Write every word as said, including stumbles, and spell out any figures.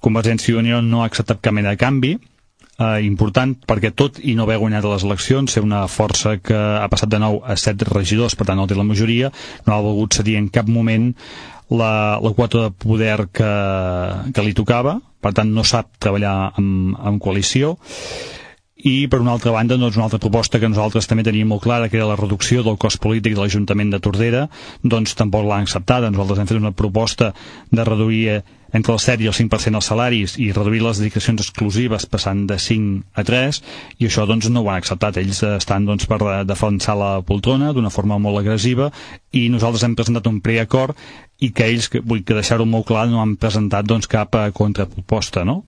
Convergència i Unió no ha acceptat cap mena de canvi, eh, important, perquè tot i no haver guanyat les eleccions, ser una força que ha passat de nou a set regidors, per tant no té la majoria, no ha volgut cedir en cap moment la, la quota de poder que, que li tocava, per tant no sap treballar en, en coalició. I per una altra banda, doncs, una altra proposta que nosaltres també teníem molt clara, que era la reducció del cost polític de l'Ajuntament de Tordera, doncs tampoc l'han acceptada. Nosaltres hem fet una proposta de reduir entre el set i el cinc per cent els salaris i reduir les dedicacions exclusives passant de cinc a tres, i això doncs no ho han acceptat. Ells estan doncs per defensar la poltrona d'una forma molt agressiva, i nosaltres hem presentat un preacord i que ells, vull que deixar-ho molt clar, no han presentat doncs cap contraproposta, no?